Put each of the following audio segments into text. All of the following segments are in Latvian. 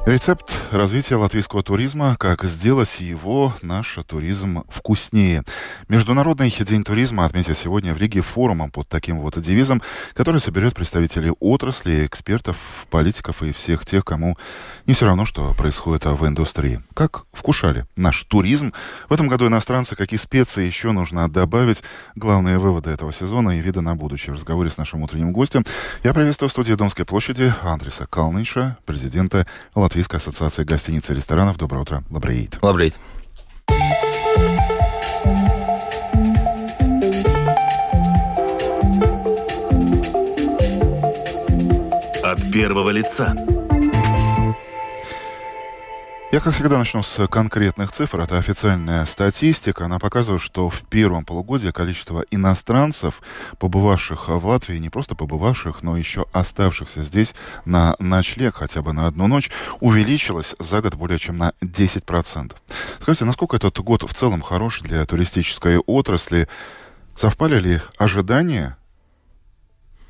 Рецепт развития латвийского туризма, как сделать его, наш туризм, вкуснее. Международный день туризма отметил сегодня в Риге форумом под таким вот девизом, который соберет представителей отрасли, экспертов, политиков и всех тех, кому не все равно, что происходит в индустрии. Как вкушали наш туризм? В этом году иностранцы, какие специи еще нужно добавить? Главные выводы этого сезона и виды на будущее. В разговоре с нашим утренним гостем я приветствую в студии Домской площади Андриса Kalniņša, президента Латвийской ассоциации гостиниц и ресторанов. Доброе утро. Лабрейт. Лабрейт. От первого лица. Я, как всегда, начну с конкретных цифр. Это официальная статистика. Она показывает, что в первом полугодии количество иностранцев, побывавших в Латвии, не просто побывавших, но еще оставшихся здесь на ночлег хотя бы на одну ночь, увеличилось за год более чем на 10%. Скажите, насколько этот год в целом хорош для туристической отрасли? Совпали ли ожидания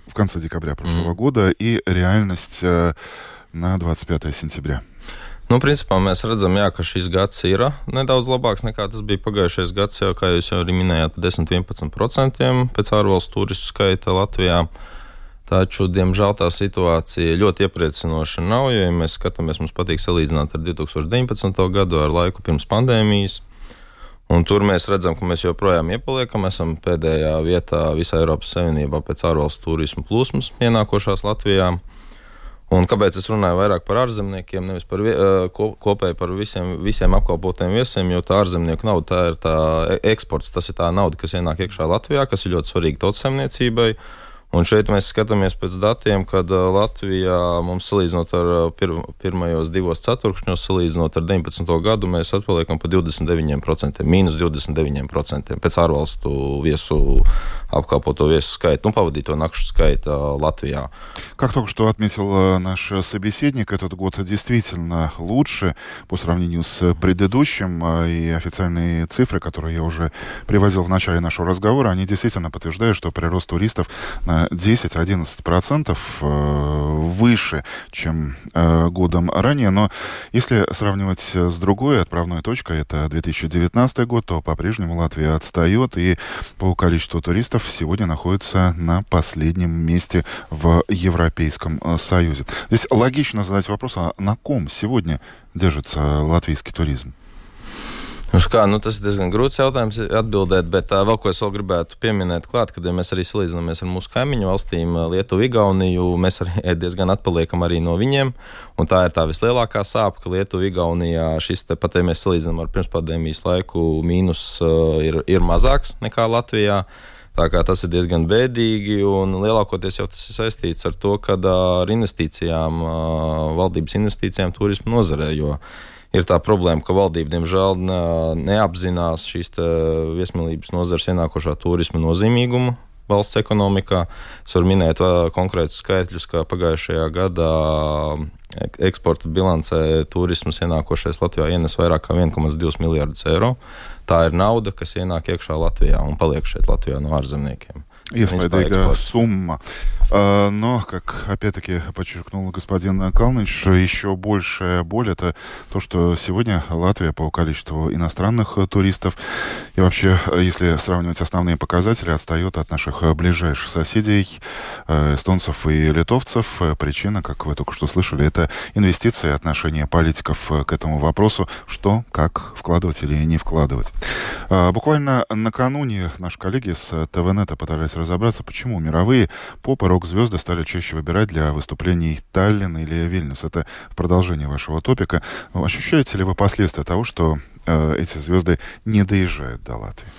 в конце декабря прошлого года и реальность на 25 сентября? Principā mēs redzam, ka šis gads ir nedaudz labāks nekā tas bija pagājušais gads, jau, kā jūs jau arī minējāt, 10-11% pēc ārvalstu turistu skaita Latvijā. Taču, diemžēl, tā situācija ļoti iepriecinoša nav, jo, ja mēs skatāmies, mums patīk salīdzināt ar 2019. gadu, ar laiku pirms pandēmijas. Un tur mēs redzam, ka mēs joprojām iepaliekam, esam pēdējā vietā visā Eiropas Savienībā pēc ārvalstu turismu plūsmas ienākošās Latvijā. Un kāpēc es runāju vairāk par ārzemniekiem, nevis par kopēji par visiem apkalpotiem viesiem, jo tā ārzemnieku nauda, tā ir tā eksports, tas ir tā nauda, kas ienāk iekšā Latvijā, kas ir ļoti svarīga tautsaimniecībai. Un šeit mēs skatāmies pēc datiem, kad Latvijā mums salīdzinot ar pirmajos divos ceturkšņos, salīdzinot ar 19. gadu, mēs atpaliekam pa 29%, mīnus 29% pēc ārvalstu viesu apkalpoto весу скайт, паводito накшу скайт Латвия. Как только что отметил наш собеседник, этот год действительно лучше по сравнению с предыдущим, и официальные цифры, которые я уже приводил в начале нашего разговора, они действительно подтверждают, что прирост туристов на 10-11% выше, чем годом ранее. Но если сравнивать с другой отправной точкой, это 2019 год, то по-прежнему Латвия отстает, и по количеству туристов сегодня находится на последнем месте в Европейском Союзе. Здесь логично задать вопрос, а на ком сегодня держится латвийский туризм? Tas ir diezgan grūts jautājums atbildēt, bet vēl ko es vēl gribētu pieminēt klāt, kad mēs arī salīdzinamies ar mūsu kaimiņu valstīm, Lietuvu, Igauniju, mēs arī diezgan atpaliekam arī no viņiem, un tā ir tā vislielākā sāpe, ka Lietuva, Igaunijā šis te pat, ja mēs salīdzinām ar pirmspandēmijas laiku, mīnus ir mazāks nekā Latvijā. Tā kā tas ir diezgan bēdīgi, un lielākoties jau tas ir saistīts ar to, kad ar investīcijām, valdības investīcijām turismu nozarē, jo ir tā problēma, ka valdība, diemžēl, neapzinās šīs viesmīlības nozares ienākošā turisma nozīmīgumu valsts ekonomikā. Es varu minēt konkrētus skaitļus, ka pagājušajā gadā eksporta bilancē turismas ienākošais Latvijā ienes vairāk kā 1,2 miljardus eiro. Tā ir nauda, kas ienāk iekšā Latvijā un paliek šeit Latvijā no ārzemniekiem. Есть сумма. Но, как опять-таки подчеркнул господин Kalniņš, еще большая боль — это то, что сегодня Латвия по количеству иностранных туристов и вообще, если сравнивать основные показатели, отстает от наших ближайших соседей, эстонцев и литовцев. Причина, как вы только что слышали, это инвестиции, отношение политиков к этому вопросу, что, как вкладывать или не вкладывать. Буквально накануне наши коллеги с ТВ-нета пытались разобраться, почему мировые поп- и рок-звезды стали чаще выбирать для выступлений Таллин или Вильнюс. Это в продолжение вашего топика. Ощущаете ли вы последствия того, что эти звезды не доезжают до Латвии?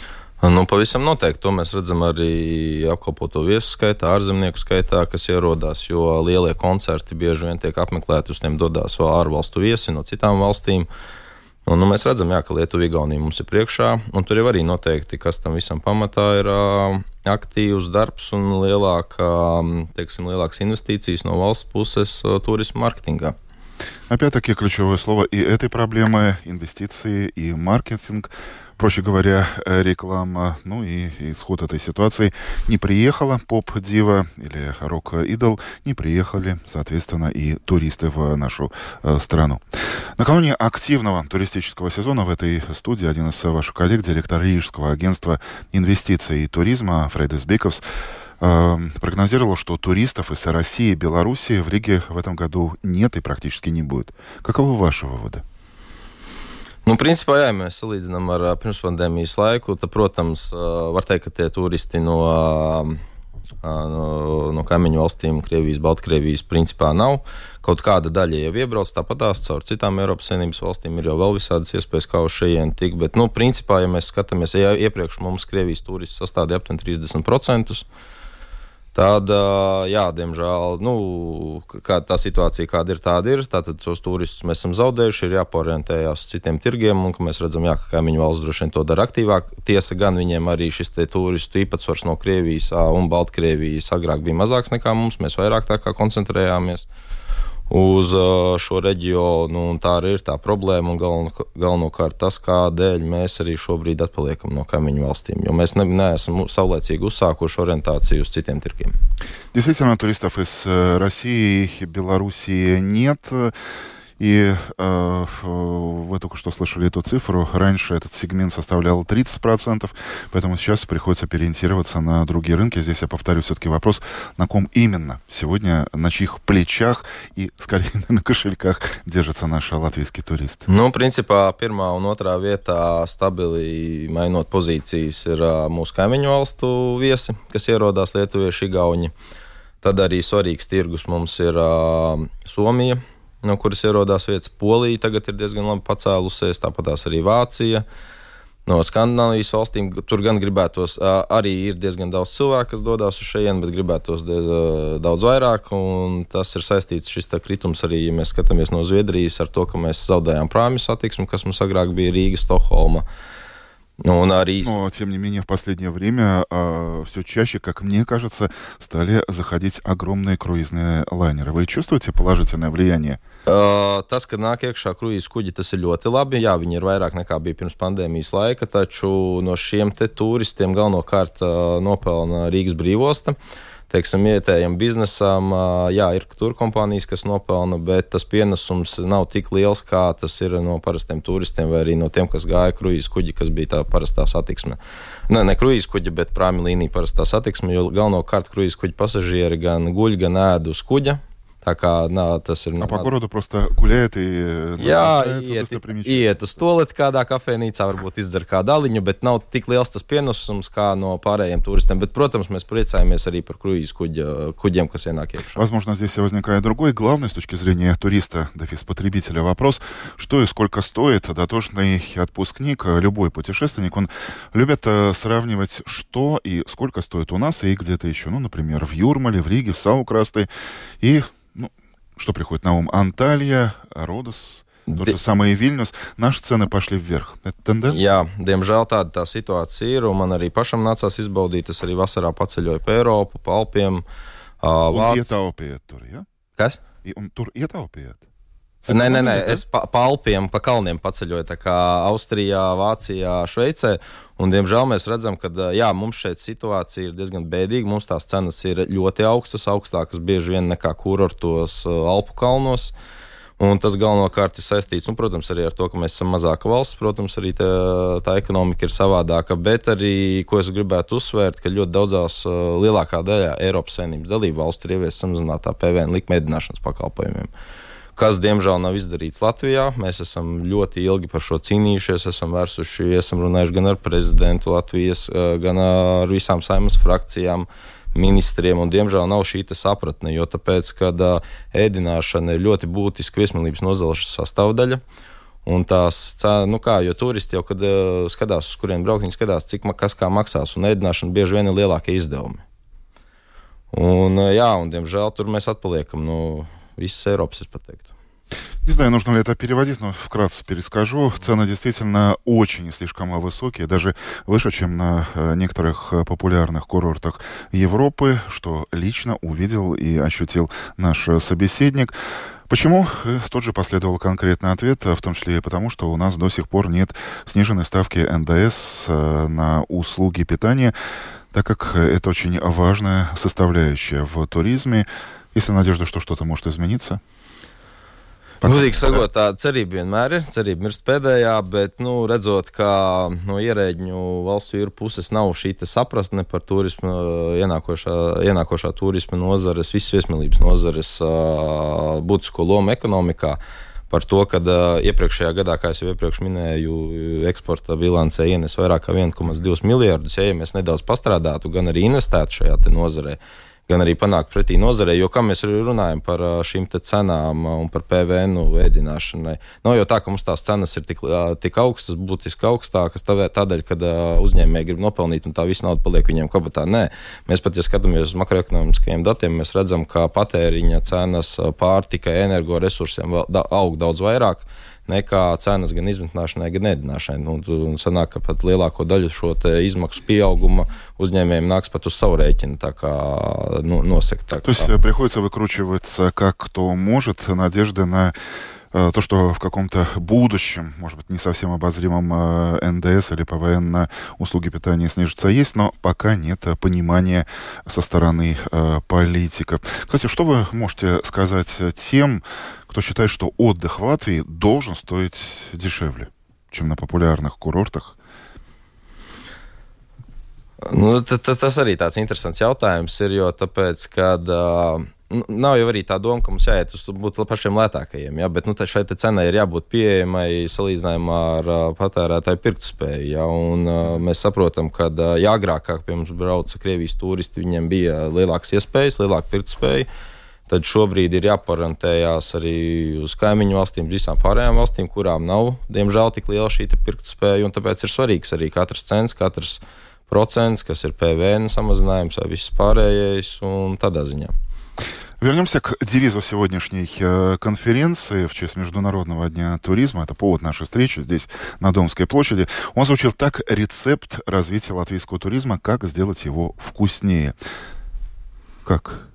Pavisam noteikti. To mēs redzam arī apkalpoto viesu skaitā, ārzemnieku skaitā, kas ierodās, jo lielie koncerti bieži vien tiek apmeklēti, uz tiem dodās vēl ārvalstu viesi no citām valstīm. Un, mēs redzam, ka Lietuva, Igaunija mums ir priekšā, un tur jau arī noteikti, kas tam visam pamatā ir aktīvs darbs un lielākas инвестиции no valsts puses turismu маркетинга. Опять-таки ключевое слово и этой проблемы — инвестиции и маркетинг. Проще говоря, реклама, и исход этой ситуации. Не приехала поп-дива или рок-идол, не приехали, соответственно, и туристы в нашу страну. Накануне активного туристического сезона в этой студии один из ваших коллег, директор Рижского агентства инвестиций и туризма Фрейдис Биковс, прогнозировал, что туристов из России и Белоруссии в Риге в этом году нет и практически не будет. Каковы ваши выводы? Principā, ja mēs salīdzinām ar pirmspandēmijas laiku, tad, protams, var teikt, ka tie turisti no kaimiņu valstīm, Krievijas, Baltkrievijas, principā nav. Kaut kāda daļa jau iebrauc, tāpatās caur citām Eiropas Savienības valstīm ir jau vēl visādas iespējas, kā uz šejien tikt, bet, principā, ja mēs skatāmies, ja iepriekš mums Krievijas turisti sastādīja aptuveni 30%, tad, diemžēl, kā tā situācija kāda ir, tātad tos turistus mēs esam zaudējuši, ir jāporientējās uz citiem tirgiem, un ka mēs redzam, ka kaimiņu valsts droši vien to dara aktīvāk. Tiesa gan viņiem arī šis te turistu īpatsvars no Krievijas un Baltkrievijas agrāk bija mazāks nekā mums, mēs vairāk tā kā koncentrējāmies uz šo reģionu, un tā arī ir tā problēma, un galvenokārt tas, kādēļ mēs arī šobrīd atpaliekam no kaimiņu valstīm, jo mēs neesam saulēcīgi uzsākuši orientācию uz citiem tirkiem. Действительно, туристов из России и Белоруссии нет. И вы только что слышали эту цифру. Раньше этот сегмент составлял 30%, поэтому сейчас приходится переориентироваться на другие рынки. Здесь я повторю все-таки вопрос, на ком именно сегодня, на чьих плечах и, скорее, на кошельках держится наш латвийский турист. Principā, pirmā un otrā vietā stabili mainot pozīcijas ir mūsu kaimiņu valstu viesi, kas ierodās lietuvieši, igauņi. Tad arī svarīgs tirgus mums ir Somija, no kuras ierodās vietas. Polija tagad ir diezgan labi pacēlusies, tāpatās arī Vācija. No Skandināvijas valstīm tur gan gribētos, arī ir diezgan daudz cilvēku, kas dodās uz šejien, bet gribētos daudz vairāk, un tas ir saistīts šis kritums arī, ja mēs skatāmies no Zviedrijas, ar to, ka mēs zaudējām prāmju satiksmi, kas mums agrāk bija Rīga, Stokholma. Но, тем не менее, в последнее время все чаще, как мне кажется, стали заходить огромные круизные лайнеры. Вы чувствуете положительное влияние? Tas, ka nāk iekšā kruīzu kuģi, tas ir ļoti labi. Jā, viņi ir vairāk nekā bija pirms pandēmijas laika, taču no šiem te turistiem galvenokārt nopelna Rīgas brīvosta. Teiksim, vietējiem biznesam, ir turkompānijas, kas nopelna, bet tas pienesums nav tik liels, kā tas ir no parastiem turistiem vai arī no tiem, kas gāja kruīzu kuģi, kas bija tā parastā satiksme. Ne kruīzu kuģi, bet prāmju līnija parastā satiksme, jo galvenokārt kruīzu kuģi pasažieri gan guļ, gan ēd uz kuģa. Tā kā, tas ir... по городу просто гуляет и... iet uz toleti kādā kafejnīcā, varbūt izdzer kādu aliņu, bet nav tik liels tas pienesums kā no pārējiem turistiem. Bet, protams, mēs priecājamies arī par круиз kuģiem, kas ienāk iekšā. Возможно, здесь возникает другой, главный с точки зрения туриста, потребителя вопрос, что и сколько стоит дотошный отпускник, любой путешественник. Он любит сравнивать, что и сколько стоит у нас и где-то еще. Например, в Юрмале, в Риге, в Саукрасте. И что приходит на ум? Анталия, Родос, тот же самый Вильнюс. Наши цены pошли вверх. Это тенденция? Jā, diemžēl tāda tā situācija ir, un man arī pašam nācās izbaudīt. Es arī vasarā paceļoju pa Eiropu, pa Alpiem. Un ietaupījāt tur, ja? Kas? Un tur ietaupījāt? Nē, es pa Alpiem, pa kalniem paceļoju, tā kā Austrijā, Vācijā, Šveicē, un diemžēl mēs redzam, ka, mums šeit situācija ir diezgan bēdīga, mums tās cenas ir ļoti augstas, augstākas bieži vien nekā kurortos Alpu kalnos, un tas galvenokārt ir saistīts, protams, arī ar to, ka mēs esam mazāka valsts, protams, arī tā ekonomika ir savādāka, bet arī, ko es gribētu uzsvērt, ka ļoti daudzās lielākā daļā Eiropas Savienības dalību valstu ir ievies samazinātā PVN likme ēdināšanas pakalpojumiem, kas, diemžēl, nav izdarīts Latvijā. Mēs esam ļoti ilgi par šo cīnījušies, esam runājuši gan ar prezidentu Latvijas, gan ar visām Saeimas frakcijām, ministriem, un, diemžēl, nav šī sapratne, jo tāpēc, kad ēdināšana ir ļoti būtiska viesmīlības nozares sastāvdaļa, un tās, jo turisti jau, kad skatās, uz kurien braukt, viņi skatās, cik kas kā maksās, un ēdināšana bieži vien ir lielākie izdevumi. Un, un, diemžēl, tur mēs atpaliekam no visas Eiropas, es pateiktu. Не знаю, нужно ли это переводить, но вкратце перескажу. Цены действительно очень и слишком высокие, даже выше, чем на некоторых популярных курортах Европы, что лично увидел и ощутил наш собеседник. Почему? Тот же последовал конкретный ответ, в том числе и потому, что у нас до сих пор нет сниженной ставки НДС на услуги питания, так как это очень важная составляющая в туризме. Есть ли надежда, что что-то может измениться? Godīgi sakot, tā cerība vienmēr ir. Cerība mirst pēdējā, bet, redzot, ka no ierēģņu valstu jūru puses nav šī saprastne par turismu, ienākošā turisma nozares, visas viesmīlības nozares būtisko lomu ekonomikā, par to, ka iepriekšējā gadā, kā es jau iepriekš minēju, eksporta bilancē ienes vairāk kā 1,2 miljardus, ja mēs nedaudz pastrādātu, gan arī investētu šajā nozarē, gan arī panākt pretī nozarei, jo kā mēs arī runājam par šīm cenām un par PVN ēdināšanai. Nav jau tā, ka mums tās cenas ir tik augstas, būtiski augstākas, tādēļ, kad uzņēmēji grib nopelnīt un tā visa nauda paliek viņiem kabatā. Nē, mēs pat, ja skatāmies uz makroekonomiskajiem datiem, mēs redzam, ka patēriņa cenas pārtikai, energoresursiem aug daudz vairāk nekā cenas gan izmitināšanai, gan ēdināšanai. Sanāk, ka pat lielāko daļu šo izmaksu пieauguma uzņēmējiem накс pat uz savu рēķinu, tā kā носек. То есть приходится выкручиваться как кто может, надежды на то, что в каком-то будущем, может быть, не совсем обозримом НДС или ПВН на услуги питания снижится, есть, но пока нет понимания со стороны политиков. Кстати, что вы можете сказать тем, кто считает, что отдых в Латвии должен стоить дешевле, чем на популярных курортах? Tas arī tāds interesants jautājums ir, jo tāpēc, kad nav jau arī tā doma, ka mums jāiet uz būt pašiem lētākajiem, ja? Bet šai cenai ir jābūt pieejamai salīdzinājumā ar patērētāju pirktspēju. Ja? Un mēs saprotam, ka agrāk, kā pie mums brauca Krievijas turisti, viņiem bija lielākas iespējas, lielāka pirktspēja. Tad šobrīd ir jāparantējās arī uz kaimiņu valstīm, visām pārējām valstīm, kurām nav, diemžēl, tik liela šī pirktspēja. Un tāpēc ir svarīgs arī katrs cents, katrs procents, kas ir PVN samazinājums vai viss pārējais un tādā ziņā. Вернемся к девизу сегодняшней конференции в честь Международного дня туризма. Это повод нашей встречи здесь, на Домской площади. Он звучит так: рецепт развития латвийского туризма, как сделать его вкуснее. Как?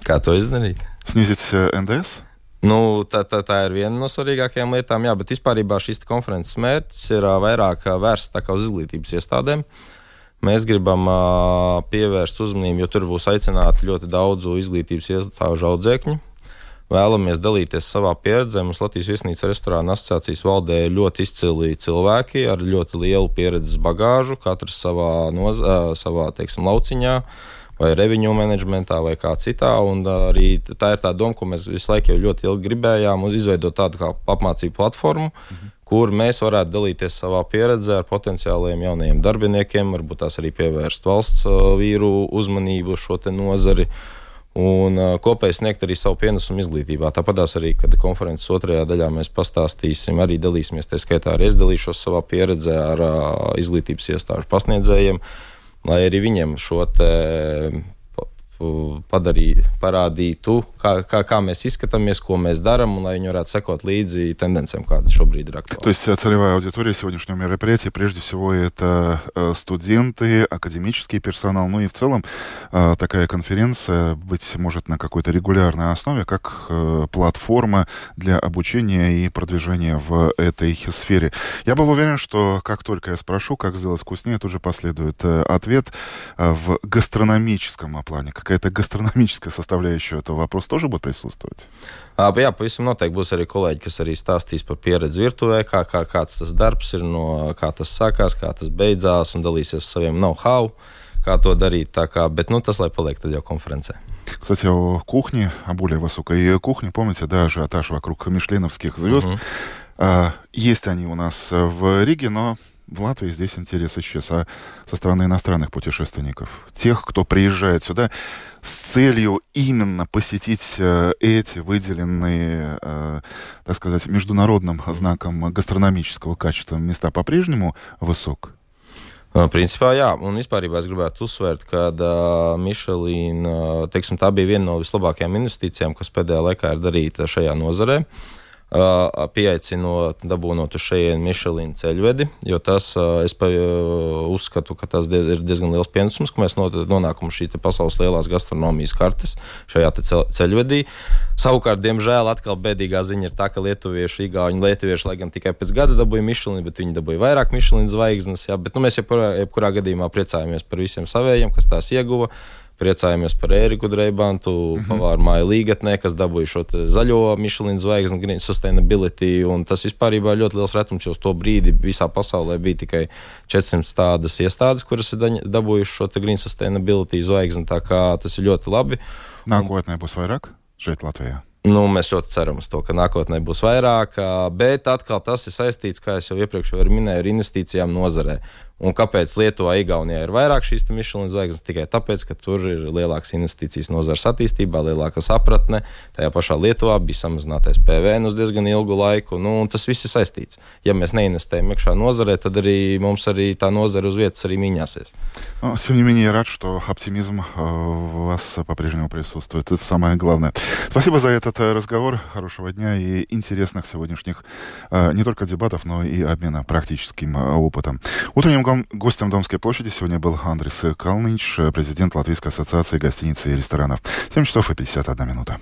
Kā to izdarīt? Снизить НДС? Tā ir viena no svarīgākajām lietām, jā, bet vispārībā šīs konferences mērķis ir vairāk vērsts tā kā uz izglītības iestādēm. Mēs gribam pievērst uzmanību, jo tur būs aicināti ļoti daudzu izglītības iestāžu audzēkņu. Vēlamies dalīties savā pieredzē. Mums Latvijas viesnīca restorāna asociācijas valdē ir ļoti izcili cilvēki ar ļoti lielu pieredzes bagāžu, katrs savā teiksim, lauciņā, vai revenue managementā, vai kā citā. Un arī tā ir tā doma, ko mēs visu laiku jau ļoti ilgi gribējām, izveidot tādu kā apmācību platformu, kur mēs varētu dalīties savā pieredzē ar potenciāliem jaunajiem darbiniekiem, varbūt tās arī pievērst valsts vīru uzmanību šo nozari un kopēji sniegt arī savu pienesumu izglītībā. Tāpatās arī, kad konferences otrajā daļā mēs pastāstīsim, arī dalīsimies, tā skaitā arī es dalīšos savā pieredzē ar izglītības iestāžu pasniedzējiem, lai arī viņiem šo parādītu, kā mēs izskatāmies, ko mēs darām, un lai viņi varētu sekot līdzi тенденциям, kādas шobrīd ir актуальны. То есть целевая аудитория сегодняшнего мероприятия, прежде всего, это студенты, академический персонал, ну и в целом такая конференция, быть может, на какой-то регулярной основе, как платформа для обучения и продвижения в этой сфере. Я был уверен, что как только я спрошу, как сделать вкуснее, тут же последует ответ в гастрономическом плане. Какая-то гастрономическая составляющая этого вопроса тоже будет присутствовать? Jā, pavisam noteikti būs arī kolēģi, kas arī stāstīs par pieredzi virtuvē, kāds tas darbs ir, kā tas sākās, kā tas beidzās, un dalīsies saviem know-how, kā to дарить, bet tas, lai paliek tad jau конференция. Кстати, о кухне, о более высокой кухне, помните, да, ажиотаж вокруг мишленовских звезд. Есть они у нас в Риге, но в Латвии здесь интерес исчез. А со стороны иностранных путешественников, тех, кто приезжает сюда с целью именно посетить эти выделенные, так сказать, международным знаком гастрономического качества места, по-прежнему высок? Principā, jā, un vispārībā es gribētu uzsvērt, ka Michelin, teiksim, tā bija viena no vislabākajām investīcijām, kas pēdējā laikā ir darīta šajā nozarē. pieaicinot, dabūnot uz šejienu Michelin ceļvedi, jo tas, es uzskatu, ka tas ir diezgan liels pienesums, ka mēs nonākam uz šīs pasaules lielās gastronomijas kartes šajā ceļvedī. Savukārt, diemžēl, atkal bēdīgā ziņa ir tā, ka lietuvieši, igauņi, lai gan tikai pēc gada dabūja Michelin, bet viņi dabūja vairāk Michelin zvaigznes, jā, bet mēs jebkurā gadījumā priecājamies par visiem savējiem, kas tās ieguva. Priecājamies par Ēriku Dreibantu, pavāru māju Līgatnē, kas dabūja šo zaļo Michelin zvaigzni, Green Sustainability, un tas vispārībā ir ļoti liels retums, jo uz to brīdi visā pasaulē bija tikai 400 tādas iestādes, kuras ir dabūjuši šo Green Sustainability zvaigzni, tā kā tas ir ļoti labi. Nākotnē būs vairāk šeit Latvijā? Mēs ļoti ceram uz to, ka nākotnē būs vairāk, bet atkal tas ir saistīts, kā es jau iepriekš minēju, ar investīcijām nozarē. Un kāpēc Lietuvā, Igaunijā ir vairāk šīs Michelin zvaigznes? Tikai tāpēc, ka tur ir lielākas investīcijas nozares attīstībā, lielāka sapratne. Tajā pašā Lietuvā bija samazinātais PVN uz diezgan ilgu laiku. Tas viss ir saistīts. Ja mēs neinvestējam iekšā nozarē, tad arī mums tā nozare uz vietas arī мīņāsies. Тем не менее, я рад, что оптимизм у вас по-прежнему присутствует. Это самое главное. Спасибо за этот разговор. Хорошего дня и интересных сегодняшних не только дебатов, но и обмена практическим опытом. Утренним гостем Домской площади сегодня был Андрис Калнич, президент Латвийской ассоциации гостиниц и ресторанов. 7 часов и 51 минута.